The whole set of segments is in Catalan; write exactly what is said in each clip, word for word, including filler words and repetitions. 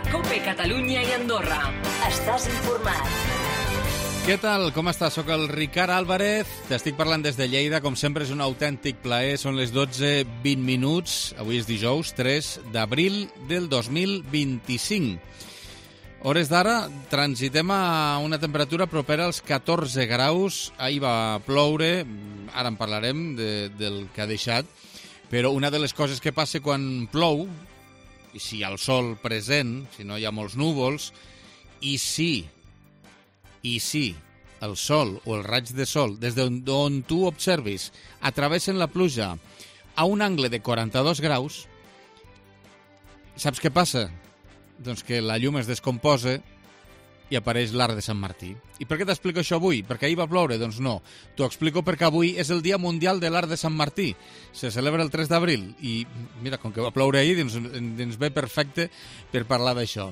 COPE Catalunya i Andorra. Estàs informat. Què tal? Com estàs? Soc el Ricard Álvarez, t'estic parlant des de Lleida, com sempre és un autèntic plaer, són les dotze vint minuts, avui és dijous, tres d'abril del dos mil vint-i-cinc. Hores d'ara, transitem a una temperatura propera als catorze graus, ahir va ploure, ara en parlarem de, del que ha deixat, però una de les coses que passa quan plou, i si hi ha el sol present, si no hi ha molts núvols, i si... I si el sol o el raig de sol, des d'on tu observis, atravessen la pluja a un angle de quaranta-dos graus, saps què passa? Doncs que la llum es descomposa i apareix l'arc de Sant Martí. I per què t'explico això avui? Perquè ahir va ploure? Doncs no. T'ho explico perquè avui és el Dia Mundial de l'Arc de Sant Martí. Se celebra el tres d'abril i, mira, com que va ploure ahir, ens, ens ve perfecte per parlar d'això.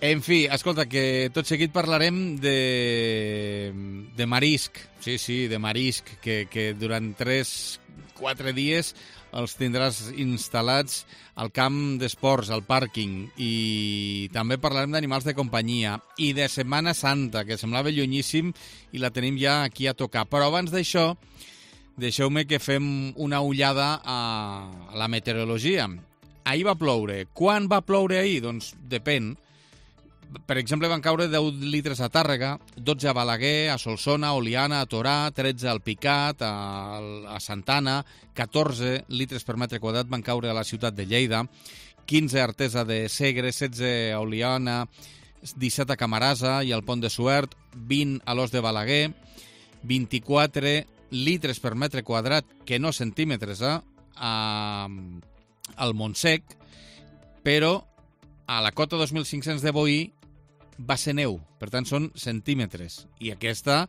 En fi, escolta, que tot seguit parlarem de, de marisc, sí, sí, de marisc, que, que durant tres quatre dies els tindràs instal·lats al camp d'esports, al pàrquing, i també parlarem d'animals de companyia i de Setmana Santa, que semblava llunyíssim i la tenim ja aquí a tocar. Però abans d'això, deixeu-me que fem una ullada a la meteorologia. Ahir va ploure. Quan va ploure ahir? Doncs depèn. Per exemple, van caure deu litres a Tàrrega, dotze a Balaguer, a Solsona, a Oliana, a Torà, tretze al Picat, a, a Santana, catorze litres per metre quadrat van caure a la ciutat de Lleida, quinze a Artesa de Segre, setze a Oliana, disset a Camarasa i al Pont de Suert, vint a l'Os de Balaguer, vint-i-quatre litres per metre quadrat, que no centímetres, eh, a, al Montsec, però a la cota dos mil cinc-cents de Boí va ser neu, per tant són centímetres, i aquesta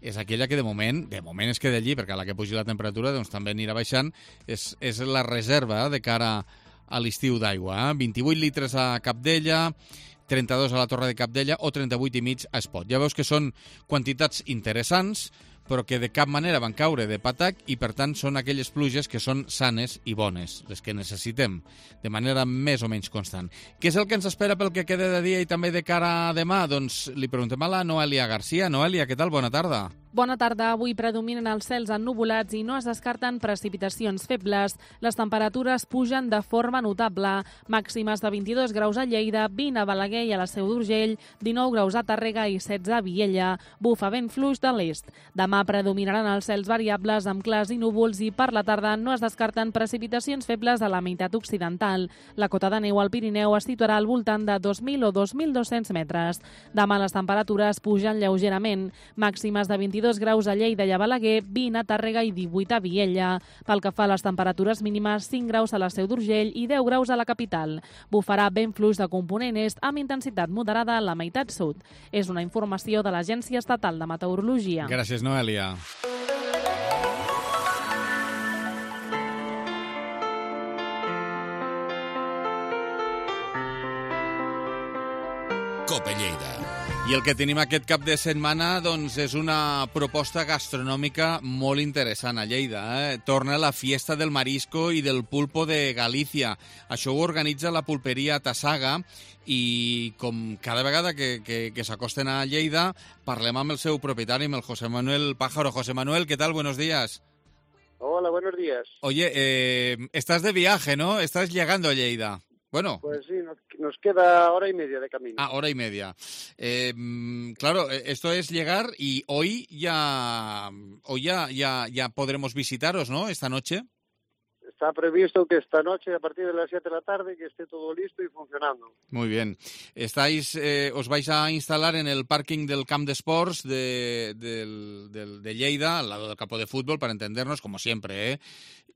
és aquella que de moment, de moment es queda allí, perquè a la que pugi la temperatura doncs també anirà baixant, és, és la reserva de cara a l'estiu d'aigua, eh? vint-i-vuit litres a Capdella, trenta-dos a la Torre de Capdella o trenta-vuit i mig a Espot. Ja veus que són quantitats interessants, però que de cap manera van caure de patac i, per tant, són aquelles pluges que són sanes i bones, les que necessitem, de manera més o menys constant. Què és el que ens espera pel que queda de dia i també de cara a demà? Doncs li preguntem a la Noelia Garcia. Noelia, què tal? Bona tarda. Bona tarda. Avui predominen els cels ennuvolats i no es descarten precipitacions febles. Les temperatures pugen de forma notable. Màximes de vint-i-dos graus a Lleida, vint a Balaguer i a la Seu d'Urgell, dinou graus a Tàrrega i setze a Viella. Bufa vent fluix de l'est. Demà predominaran els cels variables amb clars i núvols i per la tarda no es descarten precipitacions febles a la meitat occidental. La cota de neu al Pirineu es situarà al voltant de dos mil o dos mil dos-cents metres. Demà les temperatures pugen lleugerament. Màximes de vint-i-dos graus a Lleida i a Balaguer, vint a Tàrrega i divuit a Viella. Pel que fa a les temperatures mínimes, cinc graus a la Seu d'Urgell i deu graus a la capital. Bufarà vent fluix de component est amb intensitat moderada a la meitat sud. És una informació de l'Agència Estatal de Meteorologia. Gràcies, Noelia. COPE Lleida. I el que tenim aquest cap de setmana doncs, és una proposta gastronòmica molt interessant a Lleida. Eh? Torna la Fiesta del Marisco i del Pulpo de Galícia. Això ho organitza la pulperia Tassaga i com cada vegada que, que, que s'acosten a Lleida parlem amb el seu propietari, amb el José Manuel Pájaro. José Manuel, ¿qué tal? Buenos días. Hola, buenos días. Oye, eh, estás de viaje, ¿no? Estás llegando a Lleida. Bueno. Pues sí, nos, nos queda hora y media de camino. Ah, hora y media. Eh, claro, esto es llegar y hoy ya hoy ya, ya, ya podremos visitaros, ¿no? Esta noche. Está previsto que esta noche, a partir de las siete de la tarde, que esté todo listo y funcionando. Muy bien. Estáis, eh, os vais a instalar en el parking del Camp de Sports de, de, de, de Lleida, al lado del campo de fútbol, para entendernos, como siempre, ¿eh?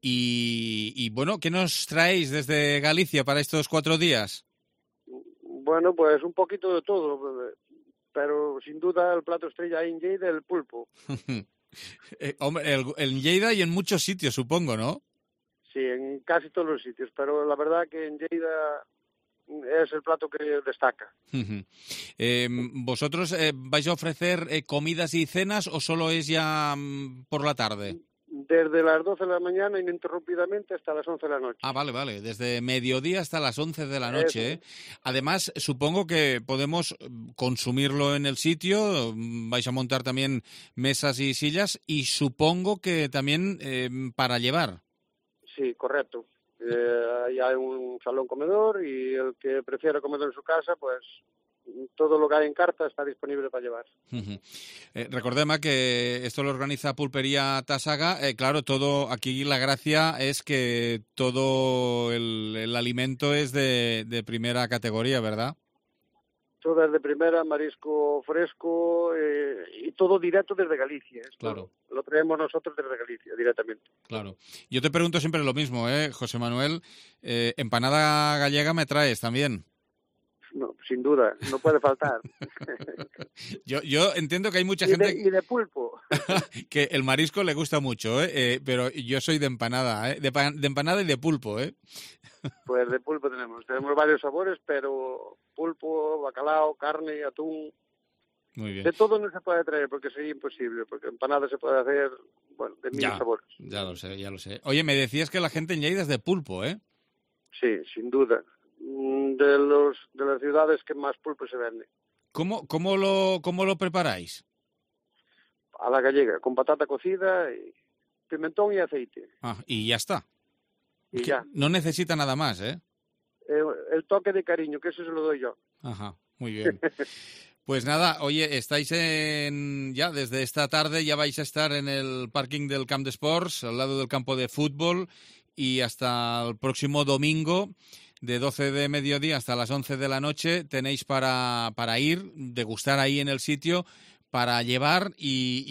Y, y bueno, ¿qué nos traéis desde Galicia para estos cuatro días? Bueno, pues un poquito de todo, pero sin duda el plato estrella ahí en Lleida, el pulpo. eh, hombre, el, en Lleida y en muchos sitios, supongo, ¿no? Sí, en casi todos los sitios, pero la verdad que en Lleida es el plato que destaca. eh, ¿Vosotros eh, vais a ofrecer eh, comidas y cenas o solo es ya mm, por la tarde? desde las doce de la mañana ininterrumpidamente hasta las once de la noche. Ah, vale, vale, desde mediodía hasta las once de la noche. ¿eh? Además, supongo que podemos consumirlo en el sitio, vais a montar también mesas y sillas, y supongo que también eh, para llevar. Sí, correcto. Eh, ahí hay un salón comedor y el que prefiera comer en su casa, pues todo lo que hay en carta está disponible para llevar. Uh-huh. Eh, recordemos que esto lo organiza Pulpería Tasaga. Eh, claro, todo aquí la gracia es que todo el, el alimento es de, de primera categoría, ¿verdad? Todo es de primera, marisco fresco eh, y todo directo desde Galicia. Esto claro. Lo traemos nosotros desde Galicia directamente. Claro. Yo te pregunto siempre lo mismo, ¿eh, José Manuel? Eh, ¿Empanada gallega me traes también? No, sin duda, no puede faltar. yo, yo entiendo que hay mucha y gente... De, y de pulpo. que el marisco le gusta mucho, ¿eh? Eh, pero yo soy de empanada, ¿eh? De, de empanada y de pulpo, ¿eh? Pues de pulpo tenemos. Tenemos varios sabores, pero pulpo, bacalao, carne, atún... Muy bien. De todo no se puede traer porque sería imposible, porque empanada se puede hacer, bueno, de mil ya, sabores. Ya lo sé, ya lo sé. Oye, me decías que la gente en Lleida es de pulpo, ¿eh? Sí, sin duda. De los de las ciudades que más pulpo se vende. ¿Cómo, cómo, lo, cómo lo preparáis? A la gallega, con patata cocida, y pimentón y aceite. Ah, y ya está. Y que ya. No necesita nada más, ¿eh? El, el toque de cariño, que eso se lo doy yo. Ajá, muy bien. Pues nada, oye, estáis en ya desde esta tarde, ya vais a estar en el parking del Camp de Sports, al lado del campo de fútbol, y hasta el próximo domingo, de doce de mediodía hasta las once de la noche, tenéis para, para ir, degustar ahí en el sitio, para llevar y,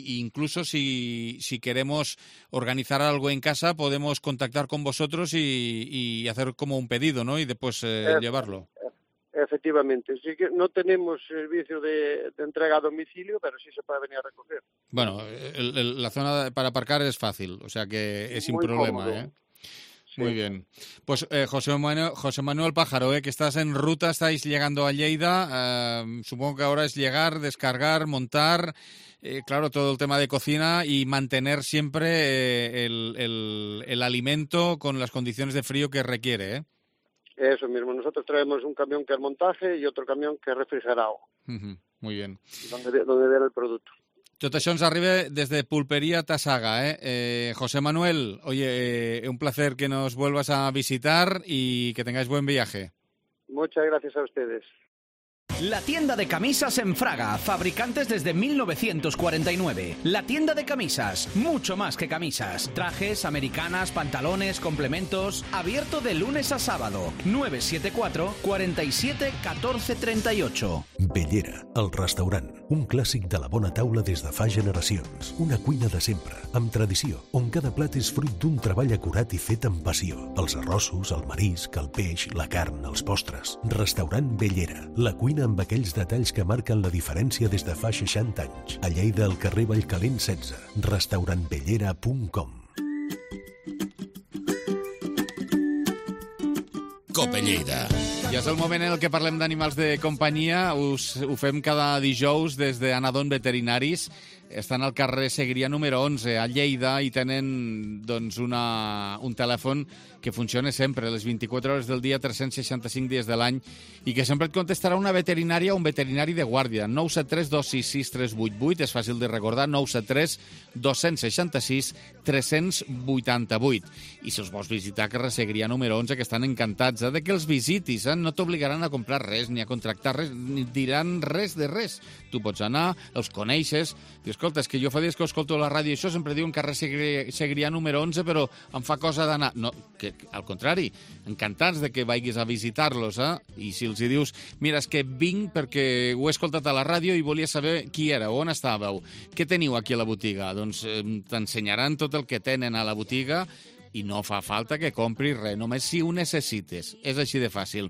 y incluso si, si queremos organizar algo en casa, podemos contactar con vosotros y, y hacer como un pedido, ¿no? Y después eh, eh, llevarlo. Efectivamente. Sí que no tenemos servicio de, de entrega a domicilio, pero sí se puede venir a recoger. Bueno, el, el, la zona para aparcar es fácil, o sea que es sin Muy problema, cómodo. ¿eh? Sí. Muy bien. Pues eh, José Manuel, José Manuel Pájaro, eh, que estás en ruta, estáis llegando a Lleida. Eh, supongo que ahora es llegar, descargar, montar, eh, claro, todo el tema de cocina y mantener siempre eh, el, el, el alimento con las condiciones de frío que requiere, ¿eh? Eso mismo. Nosotros traemos un camión que es montaje y otro camión que es refrigerado. Uh-huh. Muy bien. Donde, donde ver el producto. Tot això ens arriba desde Pulpería Tasaga, ¿eh? eh José Manuel, oye, eh, un placer que nos vuelvas a visitar y que tengáis buen viaje. Muchas gracias a ustedes. La tienda de camisas en Fraga, fabricantes desde mil novecientos cuarenta y nueve. La tienda de camisas, mucho más que camisas. Trajes, americanas, pantalones, complementos. Abierto de lunes a sábado. nueve siete cuatro, cuatro siete, uno cuatro tres ocho. Bellera, el restaurant. Un clàssic de la bona taula des de fa generacions. Una cuina de sempre, amb tradició, on cada plat és fruit d'un treball acurat i fet amb passió. Els arrossos, el marisc, el peix, la carn, els postres. Restaurant Bellera, la cuina amb aquells detalls que marquen la diferència des de fa seixanta anys. A Lleida, al carrer Vallcalent setze. restaurant bellera punt com. Cope Lleida. Ja és el moment en el que parlem d'animals de companyia. Us, ho fem cada dijous des d'Anadon Veterinaris. Estan al carrer Segrià número onze, a Lleida, i tenen doncs, una, un telèfon que funciona sempre, les vint-i-quatre hores del dia, tres cents seixanta-cinc dies de l'any, i que sempre et contestarà una veterinària o un veterinari de guàrdia. nou set tres, dos sis sis, tres vuit vuit, és fàcil de recordar, nou set tres, dos sis sis, tres vuit vuit. I si els vols visitar, carrer Segrià número onze, que estan encantats eh, de que els visitis, eh? No t'obligaran a comprar res, ni a contractar res, ni diran res de res. Tu pots anar, els coneixes, i escolta, és que jo fa dies que escolto la ràdio i això sempre diuen carrer Segrià, Segrià número onze, però em fa cosa d'anar. No, que, al contrari, encantats de que vagis a visitar-los, eh? I si els hi dius, mira, és que vinc perquè ho he escoltat a la ràdio i volia saber qui era, on estàveu, què teniu aquí a la botiga? Doncs eh, t'ensenyaran tot el que tenen a la botiga i no fa falta que compris res, només si ho necessites. És així de fàcil.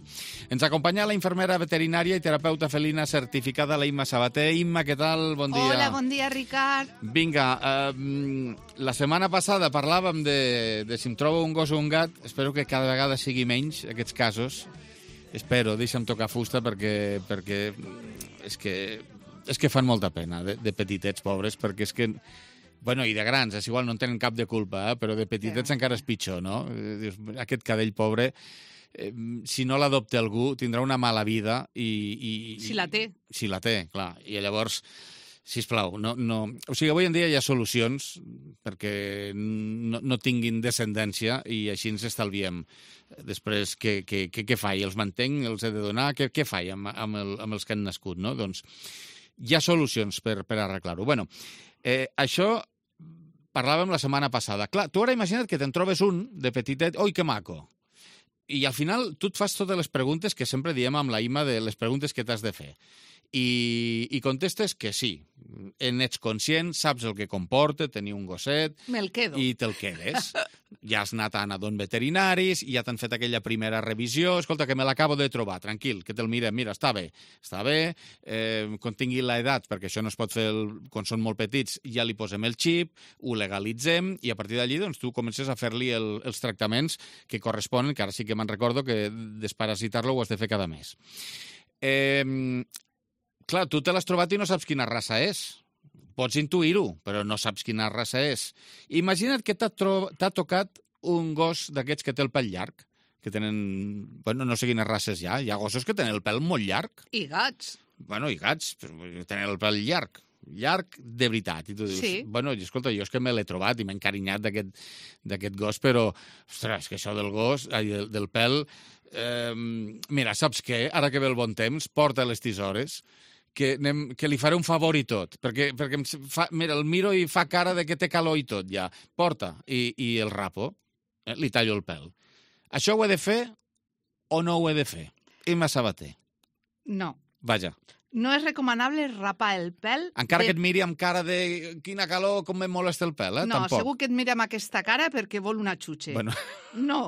Ens acompanya la infermera veterinària i terapeuta felina certificada, la Imma Sabater. Imma, què tal? Bon dia. Hola, bon dia, Ricard. Vinga, eh, la setmana passada parlàvem de, de si em trobo un gos o un gat. Espero que cada vegada sigui menys, aquests casos. Espero, deixa'm tocar fusta perquè, perquè és que, és que fan molta pena de, de petitets pobres, perquè és que Bueno, i de grans, és igual, no en tenen cap de culpa, eh? Però de petitets encara és pitjor, no? Dius, aquest cadell pobre, eh, si no l'adopta algú, tindrà una mala vida i... i si la té. Si la té, clar. I llavors, sisplau, no, no... O sigui, avui en dia hi ha solucions perquè no, no tinguin descendència i així ens estalviem. Després, què, què, què, què faig? Els mantenc? Els he de donar? Què, què faig amb, amb, el, amb els que han nascut, no? Doncs hi ha solucions per, per arreglar-ho. Bueno, eh, això parlàvem la setmana passada. Clar, tu ara imagina't que te'n trobes un de petitet, oi, que maco. I al final tu et fas totes les preguntes que sempre diem amb la I M A de les preguntes que t'has de fer. I, i contestes que sí. En ets conscient, saps el que comporta tenir un gosset... Me'l quedo. I te'l quedes. Ja has anat a nadons veterinaris, ja t'han fet aquella primera revisió, escolta, que me l'acabo de trobar, tranquil, que te'l mirem, mira, està bé, està bé, eh, quan tingui l'edat, perquè això no es pot fer el, quan són molt petits, ja li posem el xip, ho legalitzem, i a partir d'allí doncs, tu comences a fer-li el, els tractaments que corresponen, que ara sí que me'n recordo que desparasitar-lo ho has de fer cada mes. Eh, clar, tu te l'has trobat i no saps quina raça és. Pots intuir-ho, però no saps quina raça és. Imagina't que t'ha, tro... t'ha tocat un gos d'aquests que té el pèl llarg, que tenen... Bueno, no sé quines races hi ha. Hi ha gossos que tenen el pèl molt llarg. I gats. Bueno, i gats, però tenen el pèl llarg. Llarg de veritat. I tu dius, sí. Bueno, escolta, jo és que me l'he trobat i m'he encarinyat d'aquest gos, però, ostres, que això del gos, ai, del, del pèl... Eh, mira, saps què? Ara que ve el bon temps, porta les tisores, que, anem, que li faré un favor i tot, perquè, perquè em fa, mira, el miro i fa cara de que té calor i tot, ja. Porta, i, i el rapo, eh, li tallo el pèl. Això ho he de fer o no ho he de fer? Imma Sabater. No. Vaja. No és recomanable rapar el pèl... Encara de... que et miri amb cara de quina calor, com em molesta el pèl, eh? No, Tampoc. segur que et mira amb aquesta cara perquè vol una xutxa. Bueno. No,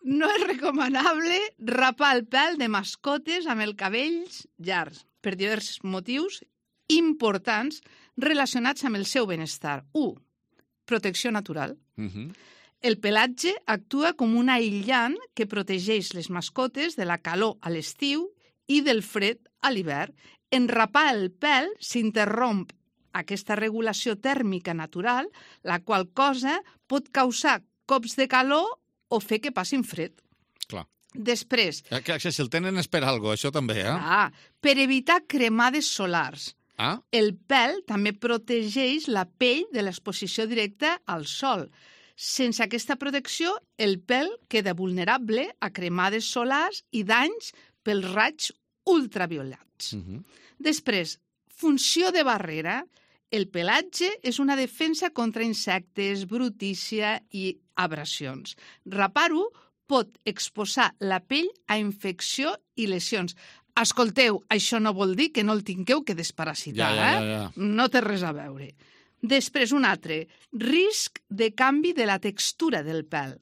no és recomanable rapar el pèl de mascotes amb el cabells llargs, per diversos motius importants relacionats amb el seu benestar. u. Protecció natural. Uh-huh. El pelatge actua com un aïllant que protegeix les mascotes de la calor a l'estiu i del fred a l'hivern. En rapar el pèl s'interromp aquesta regulació tèrmica natural, la qual cosa pot causar cops de calor o fer que passin fred. Clar. Després... Que, que si el tenen és per alguna cosa, això també, eh? Ah, per evitar cremades solars. Ah? El pèl també protegeix la pell de l'exposició directa al sol. Sense aquesta protecció, el pèl queda vulnerable a cremades solars i danys pels raigs ultraviolats. Uh-huh. Després, funció de barrera. El pelatge és una defensa contra insectes, brutícia i abrasions. Rapar-ho pot exposar la pell a infecció i lesions. Escolteu, això no vol dir que no el tingueu que desparasitar, ja, ja, ja, ja. eh? No té res a veure. Després, un altre, risc de canvi de la textura del pèl.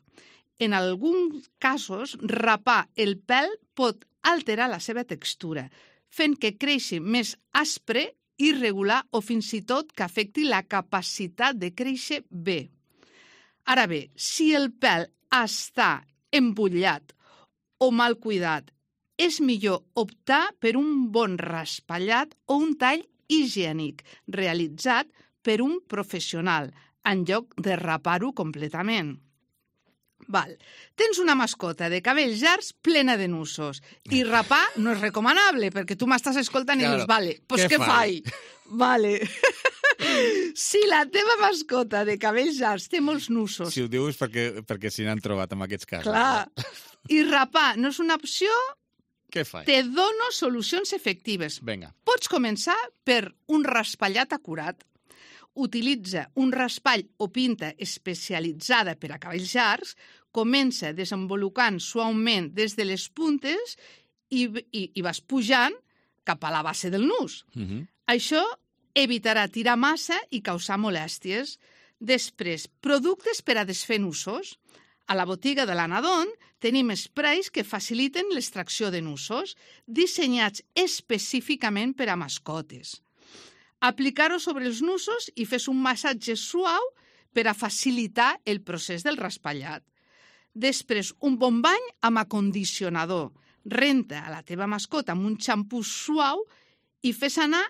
En alguns casos, rapar el pèl pot alterar la seva textura, fent que creixi més aspre, irregular o fins i tot que afecti la capacitat de créixer bé. Ara bé, si el pèl està embullat o mal cuidat, és millor optar per un bon raspallat o un tall higiènic realitzat per un professional, en lloc de rapar-ho completament. Val. Tens una mascota de cabells llargs plena de nusos i rapar no és recomanable perquè tu m'estàs escoltant i claro. dius, vale, pues què què faig? Vale. Si la teva mascota de cabells llargs té molts nusos... Si ho dius perquè, perquè s'hi n'han trobat en aquests casos. Clar. I rapar no és una opció... Què faig? Te dono solucions efectives. Vinga. Pots començar per un raspallat acurat. Utilitza un raspall o pinta especialitzada per a cabells llargs, comença desenvolupant suaument des de les puntes i, i, i vas pujant cap a la base del nus. Uh-huh. Això evitarà tirar massa i causar molèsties. Després, productes per a desfer nusos. A la botiga de l'Anadon tenim sprays que faciliten l'extracció de nusos, dissenyats específicament per a mascotes. Aplicar-ho sobre els nusos i fes un massatge suau per a facilitar el procés del raspallat. Després, un bon bany amb acondicionador. Renta a la teva mascota amb un xampú suau i fes anar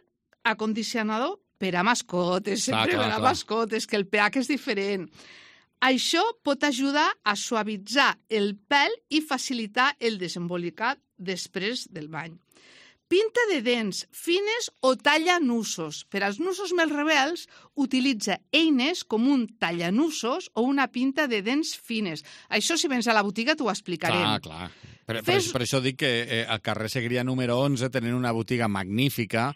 acondicionador per a mascotes, sempre clar, per a clar. mascotes, que el pH és diferent. Això pot ajudar a suavitzar el pèl i facilitar el desembolicat després del bany. Pinta de dents fines o talla nusos. Per als nusos més rebels, utilitza eines com un tallanusos o una pinta de dents fines. Això, si vens a la botiga, t'ho explicarem. Clar, clar. Per, per, Fes- per això dic que eh, al carrer Segrià número onze tenen una botiga magnífica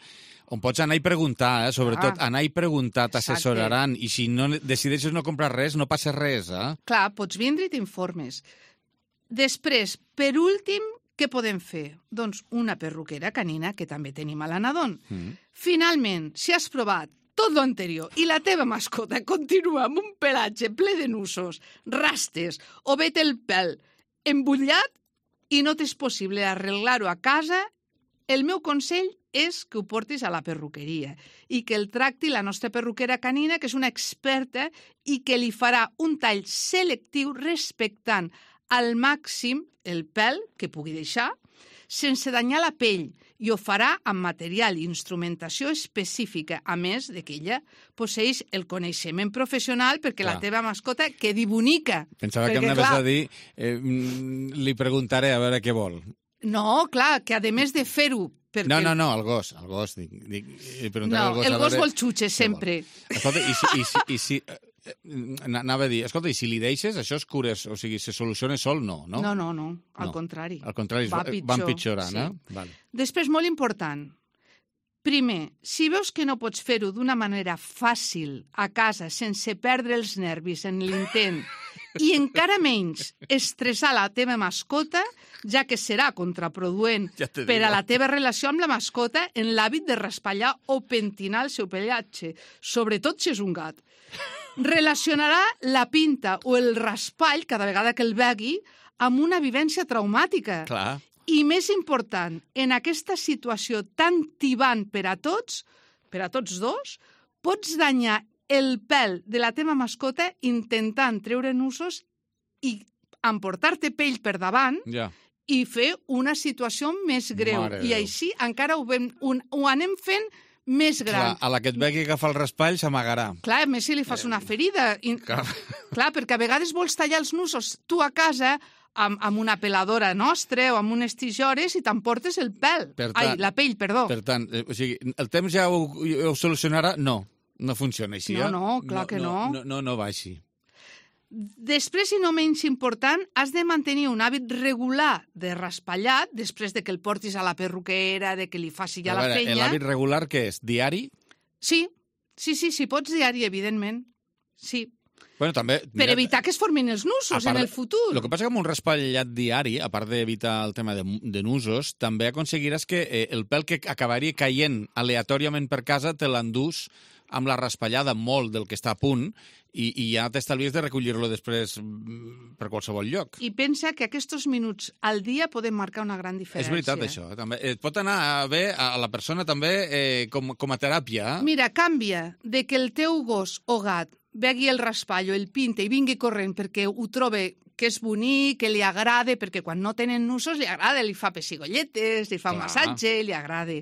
on pots anar i preguntar, eh? sobretot Ah. anar i preguntar, t'assessoraran. I si no decideixes no comprar res, no passa res. Eh? Clar, pots vindre i t'informes. Després, per últim, què podem fer? Doncs una perruquera canina, que també tenim a l'Anadon. Mm. Finalment, si has provat tot lo anterior i la teva mascota continua amb un pelatge ple de nusos, rastes o vet el pèl embullat i no t'és possible arreglar-ho a casa, el meu consell és que ho portis a la perruqueria i que el tracti la nostra perruquera canina, que és una experta i que li farà un tall selectiu respectant al màxim el pèl que pugui deixar, sense danyar la pell, i ho farà amb material i instrumentació específica, a més de que ella posseix el coneixement professional perquè Clar. la teva mascota quedi bonica. Pensava Perquè, que m'anaves clar, a dir, eh, mm, li preguntaré a veure què vol. No, clar, que a més de fer-ho... Perquè... No, no, no, el gos, el gos. Dic, dic, li preguntaré No, al gos el a gos veure vol xutxes, què vol. sempre. Escolta, i si... I si, i si eh, eh, anava a dir, escolta, i si li deixes, això es cures, o sigui, se soluciona sol, no, no? No, no, no, al No. contrari. Al contrari, Va va pitjor, van pitjorant, sí. eh? Vale. Després, molt important, primer, si veus que no pots fer-ho d'una manera fàcil a casa, sense perdre els nervis en l'intent, i encara menys estressar la teva mascota, ja que serà contraproduent Ja te per a digo. la teva relació amb la mascota en l'hàbit de raspallar o pentinar el seu pelatge, sobretot si és un gat. Relacionarà la pinta o el raspall, cada vegada que el vegui, amb una vivència traumàtica. Clar. I més important, en aquesta situació tan tibant per a tots, per a tots dos, pots danyar el pèl de la teva mascota intentant treure nusos i emportar-te pell per davant Ja. i fer una situació més greu. Mare de I Déu. així encara ho, vam, ho, ho anem fent més Clar, gran. a la que et vegi agafar el raspall s'amagarà. Clar, a més si li fas una ferida. I, Clar. clar, perquè a vegades vols tallar els nusos tu a casa amb, amb una peladora nostra o amb unes tisores i t'emportes el pèl. Per tant- Ai, la pell, perdó. Per tant, eh, o sigui, el temps ja ho, ho solucionarà? No, no funciona així, No, eh? no, clar que no. No, no, no va així. Després, i no menys important, has de mantenir un hàbit regular de raspallat després de que el portis a la perruquera, de que li faci ja A la veure, feina. l'hàbit regular què és? Diari? Sí, sí, sí, si pots diari, evidentment. Sí, Bueno, també... per evitar que es formin els nusos en el futur. El que passa que amb un raspallat diari, a part d'evitar el tema de, de nusos, també aconseguiràs que eh, el pèl que acabaria caient aleatòriament per casa te l'endús amb la raspallada molt del que està a punt i, i ja t'estalvies de recollir-lo després mm, per qualsevol lloc. I pensa que aquests minuts al dia poden marcar una gran diferència. És veritat, això. També. Et pot anar bé a la persona també eh, com, com a teràpia. Eh? Mira, canvia de que el teu gos o gat vegui el raspall o el pinte i vingui corrent perquè ho trobe que és bonic, que li agrada, perquè quan no tenen nusos li agrada, li fa pessigolletes, li fa un Clar. massatge, li agrada.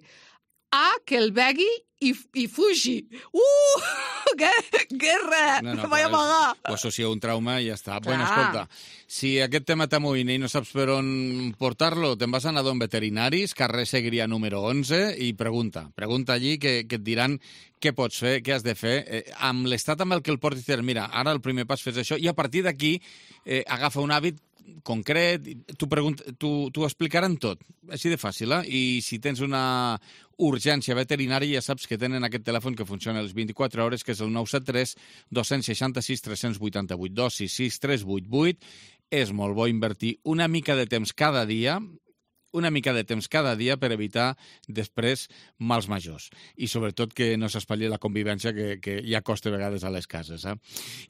A que el vegui i, i fugi. Uh! Que, guerra! No, no, vaig però amagar! Ho associa a un trauma i ja està. Clar. Bueno, escolta, si aquest tema t'amoïna i no saps per on portar-lo, te'n vas a Nadon Veterinaris, carrer Segrià número onze, i pregunta. Pregunta allí que, que et diran què pots fer, què has de fer. Eh, amb l'estat amb el que el portis, mira, ara el primer pas fes això, i a partir d'aquí eh, agafa un hàbit concret, t'ho explicaran tot, així de fàcil, eh? I si tens una urgència veterinària ja saps que tenen aquest telèfon que funciona les vint-i-quatre hores, que és el nou set tres dos sis sis tres vuit vuit, dos sis sis tres vuit vuit. És molt bo invertir una mica de temps cada dia, una mica de temps cada dia per evitar després mals majors. I sobretot que no s'espatlli la convivència que, que ja costa a vegades a les cases. Eh?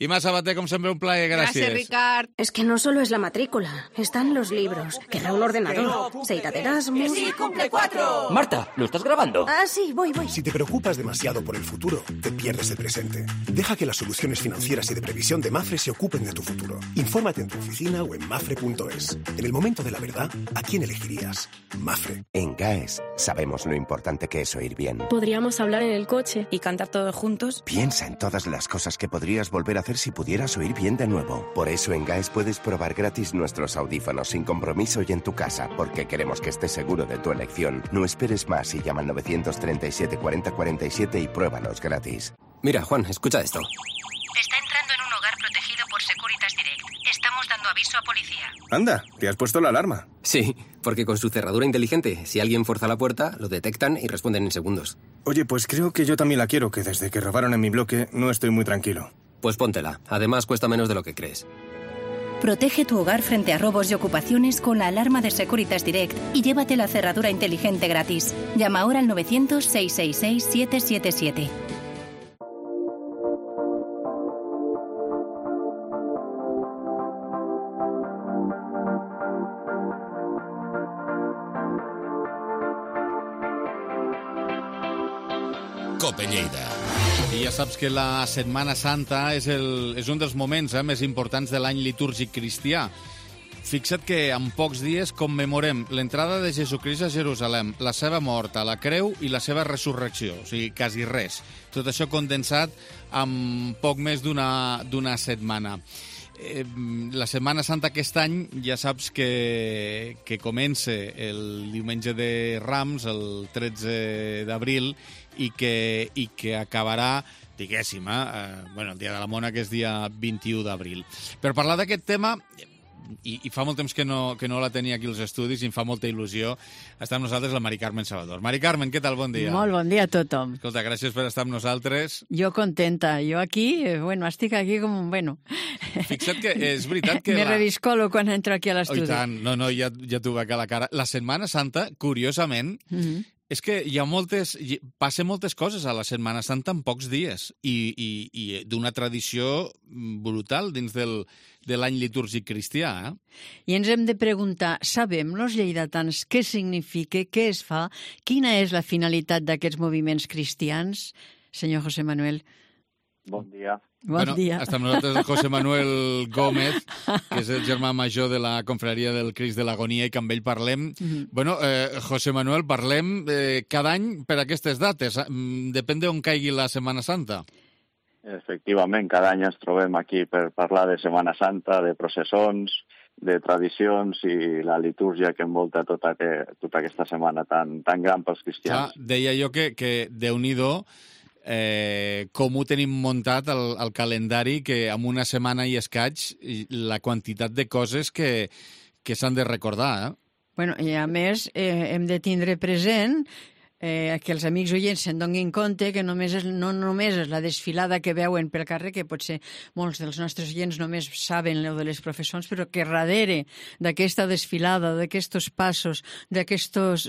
I Mas Sabater, com sempre, un plaer. Gràcies. Gràcies, Ricard. Es que no solo es la matrícula, están los libros, querrá un ordenador, se irá de Erasmus... ¡Sí, cumple cuatro! Marta, ¿lo estás grabando? Ah, sí, voy, voy. Si te preocupas demasiado por el futuro, te pierdes el presente. Deja que las soluciones financieras y de previsión de Mafre se ocupen de tu futuro. Infórmate en tu oficina o en mafre punto es. En el momento de la verdad, ¿a quién elegirías? más. Mafre. En GAES sabemos lo importante que es oír bien. Podríamos hablar en el coche y cantar todos juntos. Piensa en todas las cosas que podrías volver a hacer si pudieras oír bien de nuevo. Por eso en GAES puedes probar gratis nuestros audífonos sin compromiso y en tu casa, porque queremos que estés seguro de tu elección. No esperes más y llama al nueve tres siete, cuarenta, cuarenta y siete y pruébalos gratis. Mira, Juan, escucha esto. Está entrando en un hogar protegido por Securitas Direct. Estamos dando aviso a policía. Anda, ¿te has puesto la alarma? Sí, porque con su cerradura inteligente, si alguien fuerza la puerta, lo detectan y responden en segundos. Oye, pues creo que yo también la quiero, que desde que robaron en mi bloque no estoy muy tranquilo. Pues póntela. Además, cuesta menos de lo que crees. Protege tu hogar frente a robos y ocupaciones con la alarma de Securitas Direct y llévate la cerradura inteligente gratis. Llama ahora al novecientos, seiscientos sesenta y seis, siete siete siete. Cope Lleida. I ja saps que la Setmana Santa és, el, és un dels moments eh, més importants de l'any litúrgic cristià. Fixa't que en pocs dies commemorem l'entrada de Jesucrist a Jerusalem, la seva mort a la creu i la seva resurrecció, o sigui, quasi res. Tot això condensat en poc més d'una d'una setmana. Eh, la Setmana Santa aquest any ja saps que, que comença el diumenge de Rams, el tretze d'abril, i que, i que acabarà, diguéssim, eh, bueno, el dia de la Mona, que és dia vint-i-u d'abril. Per parlar d'aquest tema, i, i fa molt temps que no, que no la tenia aquí als estudis i em fa molta il·lusió, està amb nosaltres la Mari Carmen Salvador. Mari Carmen, què tal? Bon dia. Molt bon dia a tothom. Escolta, gràcies per estar amb nosaltres. Jo contenta. Jo aquí, bueno, estic aquí com un bueno. Fixa't que és veritat que... Me la... reviscolo quan entro aquí a l'estudi. Oh, i tant. No, no, ja, ja t'ho veig a la cara. La Setmana Santa, curiosament, mm-hmm. és que hi ha moltes... Passen moltes coses a la Setmana Santa en pocs dies i, i, i d'una tradició brutal dins del, de l'any litúrgic cristià. Eh? I ens hem de preguntar, sabem, los lleidatans, què significa, què es fa, quina és la finalitat d'aquests moviments cristians? Senyor José Manuel. Bon dia. Bon bueno, dia. Està amb nosaltres el José Manuel Gómez, que és el germà major de la confraria del Crist de l'Agonia i que amb ell parlem. Mm-hmm. Bueno, eh, José Manuel, parlem eh, cada any per aquestes dates. Depèn d'on caigui la Setmana Santa. Efectivament, cada any ens trobem aquí per parlar de Setmana Santa, de processons, de tradicions i la litúrgia que envolta tota, que, tota aquesta setmana tan, tan gran pels cristians. Ja, deia jo que, que Déu-n'hi-do, Eh, com ho tenim muntat el, el calendari, que en una setmana i escaig la quantitat de coses que, que s'han de recordar. Eh? Bueno, i a més eh, hem de tindre present eh, que els amics oients se'n donin compte que només és, no només és la desfilada que veuen pel carrer, que potser molts dels nostres oients només saben el de les professons, però que darrere d'aquesta desfilada, d'aquests passos, d'aquestes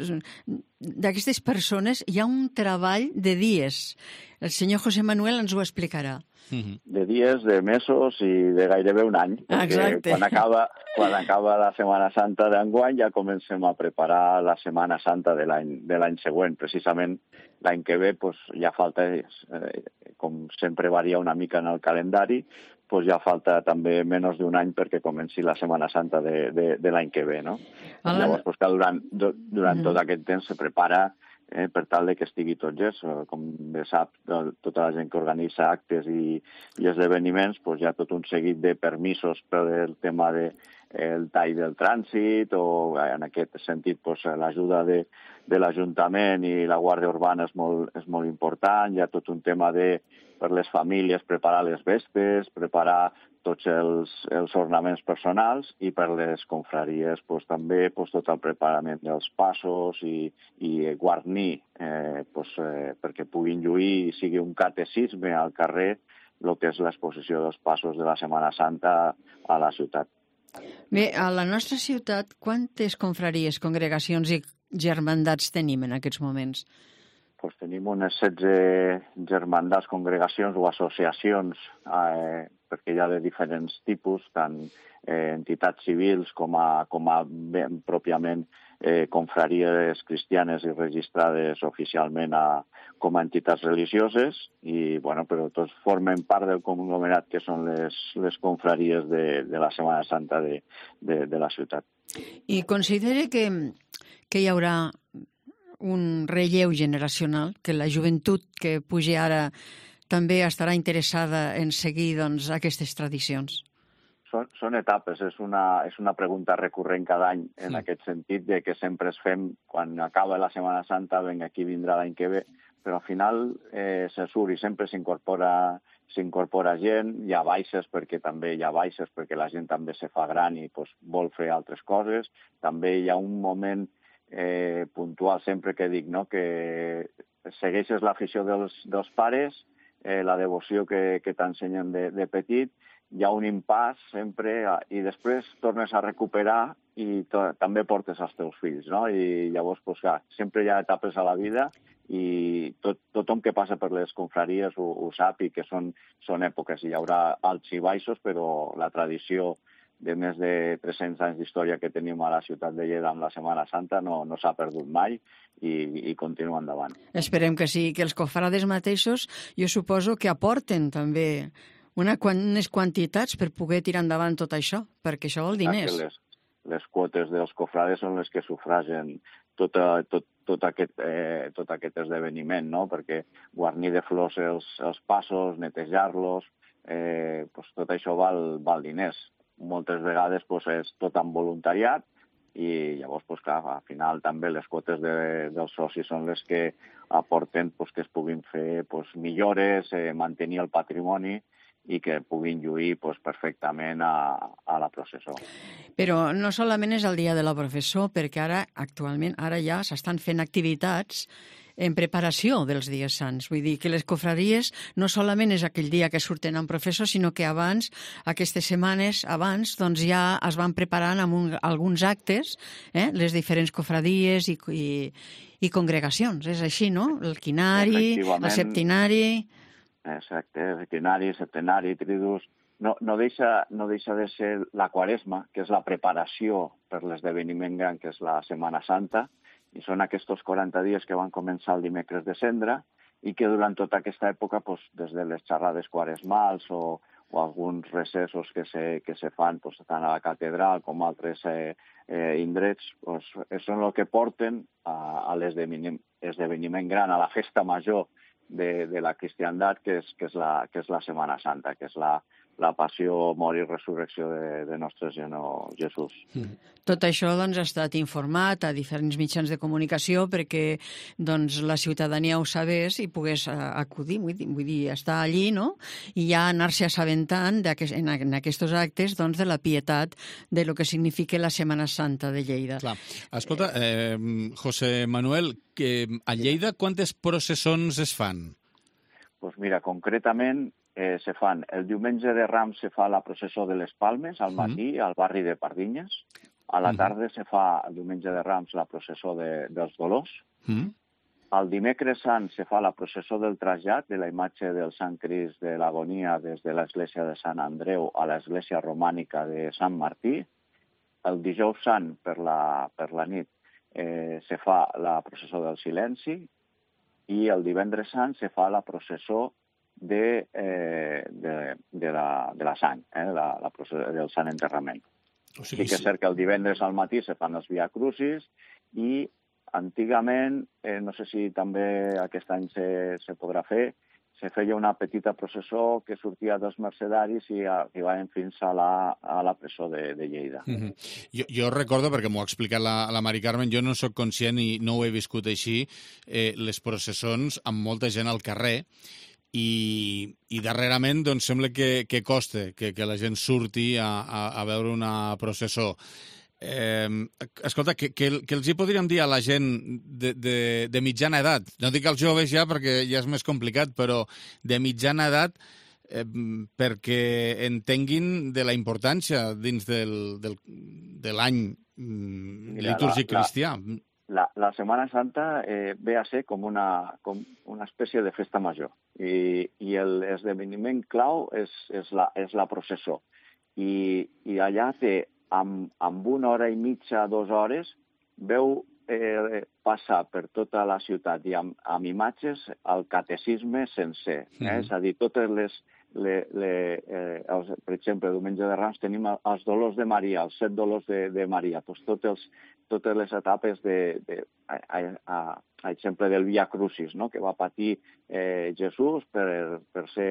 persones, hi ha un treball de dies. El senyor José Manuel ens ho explicarà. De dies, de mesos i de gairebé un any. Exacte. Quan acaba, quan acaba la Setmana Santa d'enguany ja comencem a preparar la Setmana Santa de l'any de l'any següent. Precisament l'any que ve pues, ja falta, eh, com sempre varia una mica en el calendari, pues ja falta també menys d'un any perquè comenci la Setmana Santa de, de, de l'any que ve. No? Ah. Llavors, pues, que durant, durant mm. tot aquest temps se prepara Eh, per tal de que estigui tot gest. Com bé sap, tota la gent que organitza actes i, i esdeveniments, pues hi ha tot un seguit de permisos per el tema de el tall del trànsit o en aquest sentit pues, l'ajuda de, de l'Ajuntament i la Guàrdia Urbana és molt, és molt important. Hi ha tot un tema de, per les famílies, preparar les vestes, preparar tots els, els ornaments personals i per les confraries pues, també pues, tot el preparament dels passos i, i guarnir eh, pues, eh, perquè puguin lluir i sigui un catecisme al carrer el que és l'exposició dels passos de la Setmana Santa a la ciutat. Bé, a la nostra ciutat, quantes confraries, congregacions i germandats tenim en aquests moments? Pues tenim unes setze germandats, congregacions o associacions, eh, perquè hi ha de diferents tipus, tant eh, entitats civils com a, com a ben, pròpiament eh, confraries cristianes i registrades oficialment a, com a entitats religioses, i, bueno, però tots formen part del conglomerat que són les, les confraries de, de la Setmana Santa de, de, de la ciutat. I considere que que hi haurà un relleu generacional, que la joventut que pugi ara també estarà interessada en seguir doncs, aquestes tradicions? Són, són etapes, és una, és una pregunta recurrent cada any en Sí. aquest sentit, de que sempre es fem, quan acaba la Setmana Santa, venga, aquí vindrà l'any que ve, però al final eh, se surt i sempre s'incorpora s'incorpora gent, hi ha baixes perquè també hi ha baixes perquè la gent també se fa gran i pues, vol fer altres coses. També hi ha un moment eh, puntual, sempre que dic, no?, que segueixes l'afició dels, dels pares, eh, la devoció que, que t'ensenyen de, de petit, hi ha un impàs sempre i després tornes a recuperar i to, també portes els teus fills, no? I llavors, pues, clar, sempre hi ha etapes a la vida i tot, tothom que passa per les confraries ho, ho sap i que són, són èpoques. Hi haurà alts i baixos, però la tradició de més de tres-cents anys d'història que tenim a la ciutat de Lleida amb la Setmana Santa no, no s'ha perdut mai i, i continua endavant. Esperem que sí, que els cofrades mateixos jo suposo que aporten també una, unes quantitats per poder tirar endavant tot això, perquè això vol diners. Les, les quotes dels cofrades són les que sufragen tota, tot, tot, aquest, eh, tot aquest esdeveniment, no? Perquè guarnir de flors els, els passos, netejar-los, eh, pues tot això val, val diners. Moltes vegades pues, és tot amb voluntariat i llavors, pues, clar, al final també les quotes de, dels socis són les que aporten pues, que es puguin fer pues, millores, eh, mantenir el patrimoni i que puguin lluir pues, perfectament a, a la processó. Però no solament és el dia de la processó, perquè ara, actualment, ara ja s'estan fent activitats en preparació dels dies sants. Vull dir que les cofraries no solament és aquell dia que surten en processó, sinó que abans, aquestes setmanes abans, doncs ja es van preparant amb un, alguns actes, eh, les diferents cofradies i, i, i congregacions. És així, no? El quinari, el septinari... Exacte, septenari, septenari, tridus. No, no, deixa, no deixa de ser la Quaresma, que és la preparació per l'esdeveniment gran, que és la Setmana Santa, i són aquests quaranta dies que van començar el dimecres de Cendra i que durant tota aquesta època, pues, des de les xerrades quaresmals o, o alguns recessos que se, que se fan pues, tant a la catedral com a altres eh, eh, indrets, pues, són el que porten a, a l'esdeveniment gran, a la festa major de, de la cristiandat, que és, que, és la, que és la Setmana Santa, que és la, la passió, mort i resurrecció de, de nostre Senyor Jesús. Mm. Tot això doncs, ha estat informat a diferents mitjans de comunicació perquè doncs, la ciutadania ho sabés i pogués uh, acudir, vull dir, vull dir, estar allí, no? I ja anar-se assabentant aquest, en, en aquests actes doncs, de la pietat de lo que significa la Setmana Santa de Lleida. Clar. Escolta, eh, José Manuel, que a Lleida quantes processons es fan? Pues mira, concretament eh, se fan, el diumenge de Rams se fa la processó de les Palmes al matí mm. al barri de Pardinyes, a la tarda mm. se fa el diumenge de Rams la processó de, dels Dolors, mm. el dimecres sant se fa la processó del trasllat de la imatge del Sant Crist de l'Agonia des de l'església de Sant Andreu a l'església romànica de Sant Martí, el dijous sant per la, per la nit eh, se fa la processó del silenci i el divendres sant se fa la processó de, eh, de, de, la, de la sang, eh, la, la processó del sant enterrament. O sigui, sí que és cert que el divendres al matí se fan els Via Crucis i antigament, eh, no sé si també aquest any se, se podrà fer, se feia una petita processó que sortia dels mercedaris i arribaven fins a la, a la presó de, de Lleida. Mm-hmm. jo, jo recordo, perquè m'ho ha explicat la, la Mari Carmen, jo no sóc conscient i no ho he viscut així, eh, les processons amb molta gent al carrer, i, i darrerament doncs, sembla que, que costa que, que la gent surti a, a, a veure una processó. Eh, escolta, que, que, que els hi podríem dir a la gent de, de, de mitjana edat, no dic als joves ja perquè ja és més complicat, però de mitjana edat, eh, perquè entenguin de la importància dins del, del, de l'any mm, litúrgic cristià. La, la Setmana Santa eh, ve a ser com una, com una espècie de festa major i, i l'esdeveniment clau és, és, la, és la processó. I, i allà té, amb, amb una hora i mitja, dues hores, veu eh, passar per tota la ciutat i amb, amb imatges el catecisme sencer. Eh? Mm. És a dir, totes les, le, le, eh, els, per exemple, diumenge de Rams tenim els dolors de Maria, els set dolors de, de Maria, doncs tots els, totes les etapes de, de a, a, a exemple del Via Crucis, no? Que va patir eh, Jesús per, per ser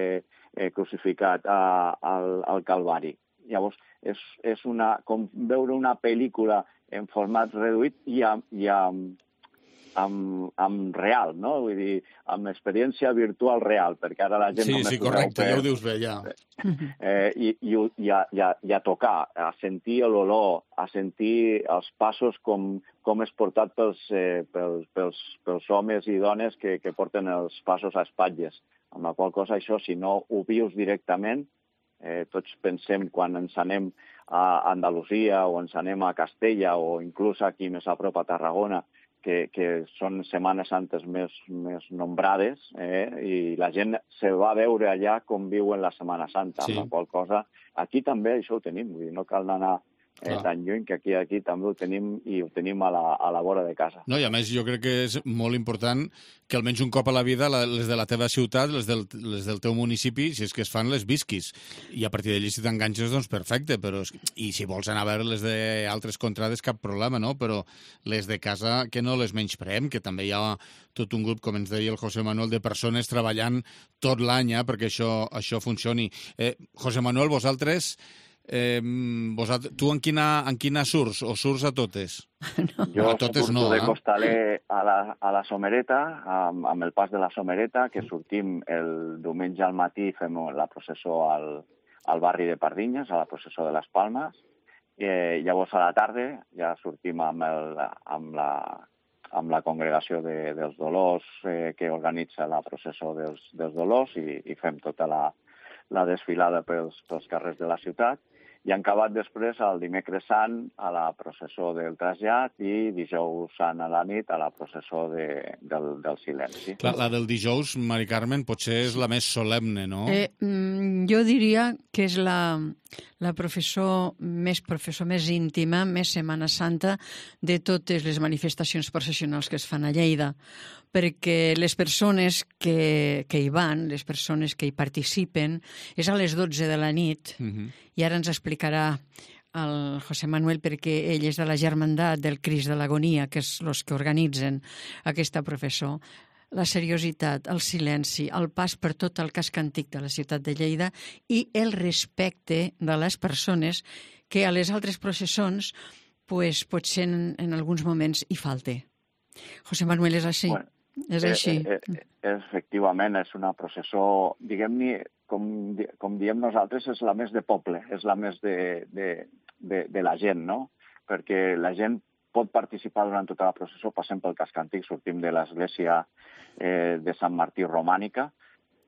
eh, crucificat a, al, al Calvari. Llavors, és, és una, com veure una pel·lícula en format reduït i amb, i amb, amb, amb real, no? Vull dir, amb experiència virtual real, perquè ara la gent... Sí, només sí, correcte, per, ja ho dius bé, ja. Eh, i, i, i, a, i, a, I a tocar, a sentir l'olor, a sentir els passos com, com és portat pels, eh, pels, pels, pels homes i dones que, que porten els passos a espatlles. Amb la qual cosa, això, si no ho vius directament, Eh, tots pensem quan ens anem a Andalusia o ens anem a Castella o inclús aquí més a prop a Tarragona, que, que són Setmanes Santes més, més nombrades, eh, i la gent se va veure allà com viuen la Setmana Santa, sí. Amb la qual cosa aquí també això ho tenim, vull dir, no cal anar eh, tan lluny, que aquí aquí també ho tenim i ho tenim a la, a la vora de casa. No, i a més jo crec que és molt important que almenys un cop a la vida les de la teva ciutat, les del, les del teu municipi, si és que es fan, les visquis. I a partir d'allí, si t'enganxes, doncs perfecte. Però, i si vols anar a veure les d'altres contrades, cap problema, no? Però les de casa, que no les menyspreem, que també hi ha tot un grup, com ens deia el José Manuel, de persones treballant tot l'any eh, perquè això, això funcioni. Eh, José Manuel, vosaltres... Eh, vosaltres, tu en quina, en quina surts? O surts a totes? No. Jo a totes surto no, de eh? costaler a la, a la Somereta, amb, amb el pas de la Somereta, que sortim el diumenge al matí, fem la processó al, al barri de Pardinyes, a la processó de les Palmes, i eh, llavors a la tarda ja sortim amb, el, amb, la, amb la congregació de, dels Dolors eh, que organitza la processó dels, dels Dolors i, i fem tota la, la desfilada pels, pels carrers de la ciutat. I han acabat després el dimecres sant a la processó del trasllat i dijous sant a la nit a la processó de, del, del silenci. Clar, la del dijous, Mari Carmen, potser és la més solemne, no? Eh, jo diria que és la, la professor més professor més íntima, més Setmana Santa de totes les manifestacions processionals que es fan a Lleida, perquè les persones que, que hi van, les persones que hi participen, és a les dotze de la nit, uh-huh. I ara ens explicarà el José Manuel perquè ell és de la Germandat del Crist de l'Agonia, que és els que organitzen aquesta professó. La seriositat, el silenci, el pas per tot el casc antic de la ciutat de Lleida i el respecte de les persones que a les altres processons pues, potser en, en alguns moments hi falte. José Manuel, és així? Bueno, és així. Eh, eh, efectivament, és una processó, diguem-ne, com, com diem nosaltres, és la més de poble, és la més de, de, de, de la gent, no? Perquè la gent pot participar durant tota la processó, passem pel casc antic, sortim de l'església eh, de Sant Martí Romànica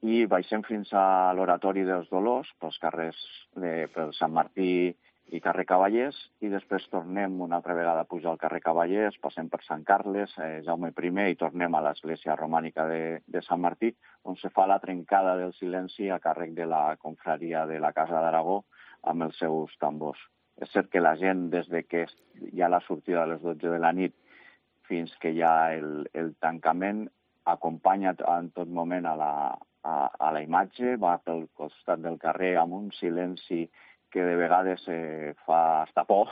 i baixem fins a l'Oratori dels Dolors, pels carrers de, pel Sant Martí i carrer Cavallers, i després tornem una altra vegada a pujar al carrer Cavallers, passem per Sant Carles, eh, Jaume primer, i tornem a l'església romànica de, de Sant Martí, on se fa la trencada del silenci a càrrec de la confraria de la Casa d'Aragó amb els seus tambors. És cert que la gent, des de que hi ha la sortida a les dotze de la nit fins que hi ha el, el tancament, acompanya en tot moment a la, a, a la imatge, va pel costat del carrer amb un silenci que de vegades eh, fa hasta por,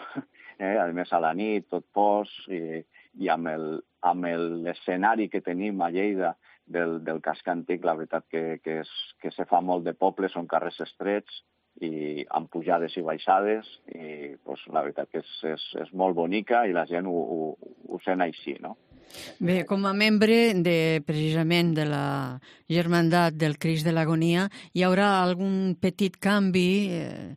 eh? A més a la nit, tot pos, i, i amb, el, amb l'escenari que tenim a Lleida del, del casc antic, la veritat que, que, és, que se fa molt de poble, són carrers estrets, i amb pujades i baixades, i pues, la veritat que és, és, és molt bonica i la gent ho, ho, ho sent així, no? Bé, com a membre de, precisament de la Germandat del Crist de l'Agonia, hi haurà algun petit canvi eh,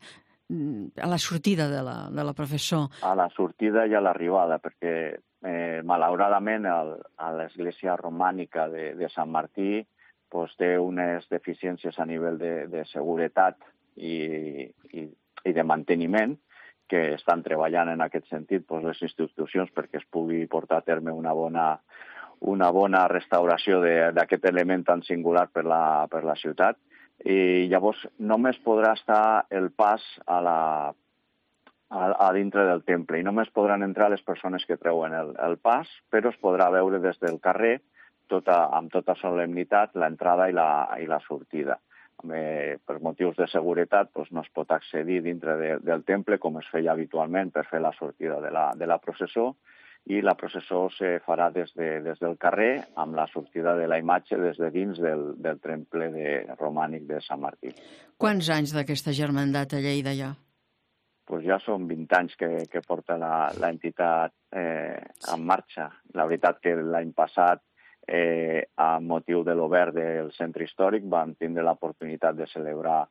a la sortida de la, de la professor? A la sortida i a l'arribada, perquè eh, malauradament el, a l'església romànica de, de Sant Martí pues, té unes deficiències a nivell de, de seguretat i, i, i de manteniment, que estan treballant en aquest sentit doncs, les institucions perquè es pugui portar a terme una bona, una bona restauració d'aquest element tan singular per la, per la ciutat. I llavors només podrà estar el pas a, la, a, a dintre del temple i només podran entrar les persones que treuen el, el pas, però es podrà veure des del carrer tota, amb tota solemnitat l'entrada i la, i la sortida. eh, per motius de seguretat doncs no es pot accedir dintre de, del temple com es feia habitualment per fer la sortida de la, de la processó, i la processó se farà des, de, des del carrer amb la sortida de la imatge des de dins del, del temple de, romànic de Sant Martí. Quants anys d'aquesta germandat a Lleida ja? Pues ja són vint anys que, que porta l'entitat eh, en marxa. La veritat que l'any passat, eh, a motiu de l'obert del centre històric, vam tindre l'oportunitat de celebrar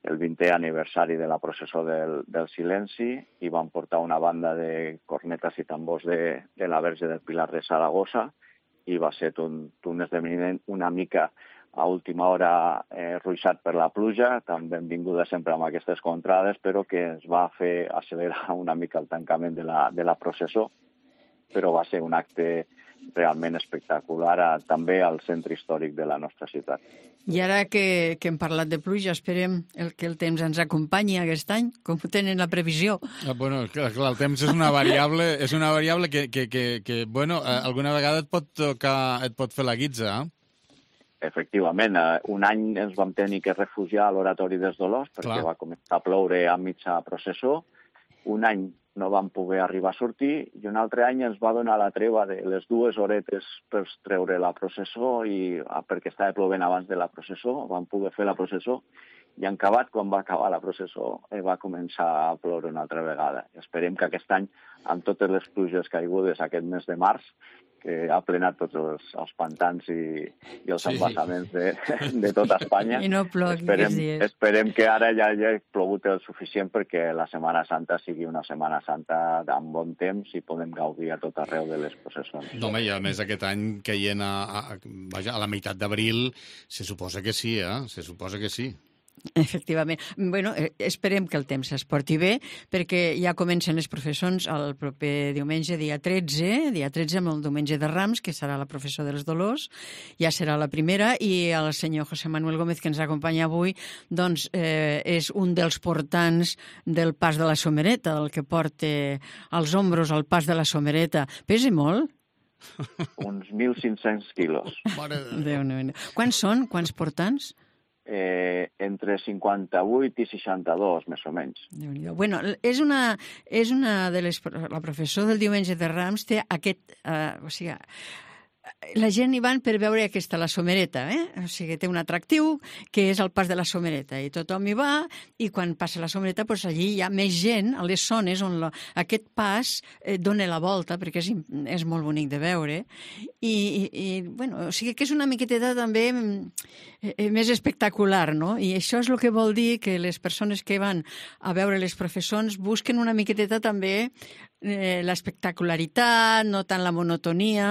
el vintè aniversari de la processó del, del silenci i vam portar una banda de cornetes i tambors de, de la Verge del Pilar de Saragossa i va ser un, un esdeveniment una mica a última hora eh, ruixat per la pluja, tan benvinguda sempre amb aquestes contrades, però que ens va fer accelerar una mica el tancament de la, de la processó, però va ser un acte realment espectacular a, també al centre històric de la nostra ciutat. I ara que, que hem parlat de pluja, esperem el, que el temps ens acompanyi aquest any, com ho tenen la previsió. Ah, bueno, clar, clar, el temps és una variable, és una variable que, que, que, que bueno, alguna vegada et pot tocar, et pot fer la guitza, eh? Efectivament, un any ens vam tenir que refugiar a l'Oratori dels Dolors perquè Clar. va començar a ploure a mitja processó. Un any no vam poder arribar a sortir i un altre any ens va donar la treva de les dues horetes per treure la processó i perquè estava plovent abans de la processó, vam poder fer la processó i en acabat, quan va acabar la processó, va començar a ploure una altra vegada. Esperem que aquest any, amb totes les pluges caigudes aquest mes de març, que ha plenat tots els, els pantans i, i els sí. embassaments de, de tota Espanya. I no plogui esperem, aquests dies. Esperem que ara ja hi hagi plogut el suficient perquè la Setmana Santa sigui una Setmana Santa amb bon temps i podem gaudir a tot arreu de les processons. No, home, i a més aquest any caient a, a, vaja, a la meitat d'abril, se suposa que sí, eh? Se suposa que sí. Efectivament. Bueno, esperem que el temps es porti bé, perquè ja comencen les professons el proper diumenge, dia tretze, dia tretze amb el diumenge de Rams, que serà la professó dels Dolors, ja serà la primera, i el senyor José Manuel Gómez, que ens acompanya avui, doncs eh, és un dels portants del pas de la Somereta, el que porta als ombros el pas de la Somereta. Pesa molt? Uns mil cinc-cents quilos. Déu-n'hi-do. Quants són? Quants portants? Eh, entre cinquanta-vuit i seixanta-dos, més o menys. Bueno, és una, és una de les... La professó del diumenge de Rams té aquest... Eh, o sigui, la gent hi van per veure aquesta, la Somereta, eh? O sigui, té un atractiu que és el pas de la Somereta i tothom hi va i quan passa la Somereta doncs allí hi ha més gent a les zones on la, aquest pas eh, dona la volta perquè és, és molt bonic de veure i, i, i bueno, o sigui que és una miqueteta també eh, més espectacular, no? I això és el que vol dir que les persones que van a veure les professons busquen una miqueteta també eh, l'espectacularitat, no tant la monotonia.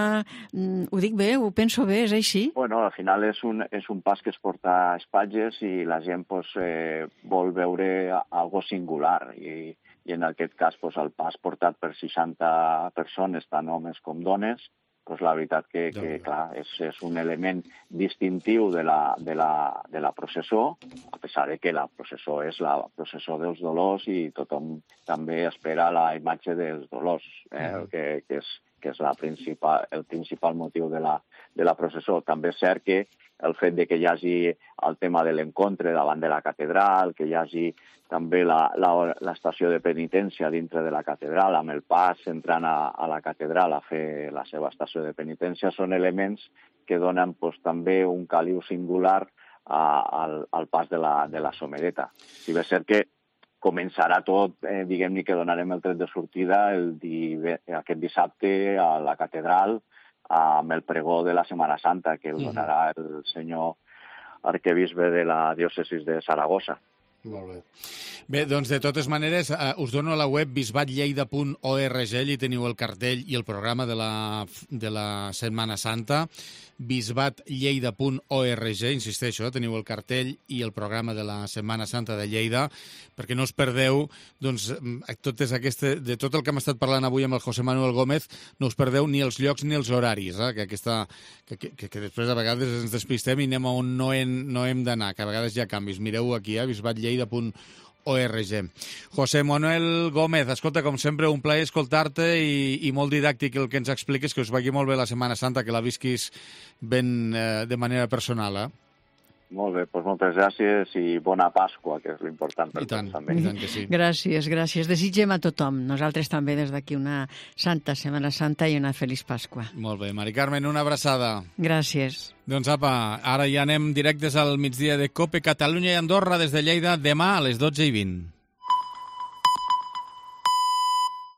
Ho dic bé? Ho penso bé? És així? Bueno, al final és un, és un pas que es porta a espatlles i la gent pues, eh, vol veure algo singular i, i en aquest cas pues, el pas portat per seixanta persones, tant homes com dones, pues, la veritat que, que clar, és, és un element distintiu de la, de, la, de la processó, a pesar de que la processó és la processó dels Dolors i tothom també espera la imatge dels Dolors, eh, mm. que, que és que és la principal, el principal motiu de la, de la processó. També és cert que el fet de que hi hagi el tema de l'encontre davant de la catedral, que hi hagi també l'estació de penitència dintre de la catedral, amb el pas entrant a, a la catedral a fer la seva estació de penitència, són elements que donen pues, també un caliu singular a, al, al pas de la, de la Somereta. Si bé és cert que començarà tot, eh, diguem-ne que donarem el tret de sortida el di... aquest dissabte a la catedral amb el pregó de la Setmana Santa que el donarà el senyor arquebisbe de la diòcesis de Saragossa. Molt bé. Bé, doncs de totes maneres eh, us dono a la web bisbat lleida punt org, allí teniu el cartell i el programa de la, de la Setmana Santa, bisbat lleida punt org, insisteixo, teniu el cartell i el programa de la Setmana Santa de Lleida, perquè no us perdeu doncs, totes aquestes, de tot el que hem estat parlant avui amb el José Manuel Gómez, no us perdeu ni els llocs ni els horaris, eh? que, aquesta, que, que, que després a vegades ens despistem i anem a on no hem, no hem d'anar, que a vegades hi ha canvis. Mireu aquí, eh? bisbat lleida punt org. José Manuel Gómez, escolta, com sempre, un plaer escoltar-te i, i molt didàctic el que ens expliques, que us vagi molt bé la Setmana Santa, que la visquis ben, eh, de manera personal, eh? Molt bé, doncs moltes gràcies i bona Pasqua, que és l'important per I tant, tots també. i tant que sí. Gràcies, gràcies. Desitgem a tothom, nosaltres també des d'aquí una santa Setmana Santa i una feliç Pasqua. Molt bé, Mari Carmen, una abraçada. Gràcies. Doncs apa, ara ja anem directes al migdia de COPE Catalunya i Andorra des de Lleida demà a les dotze i vint.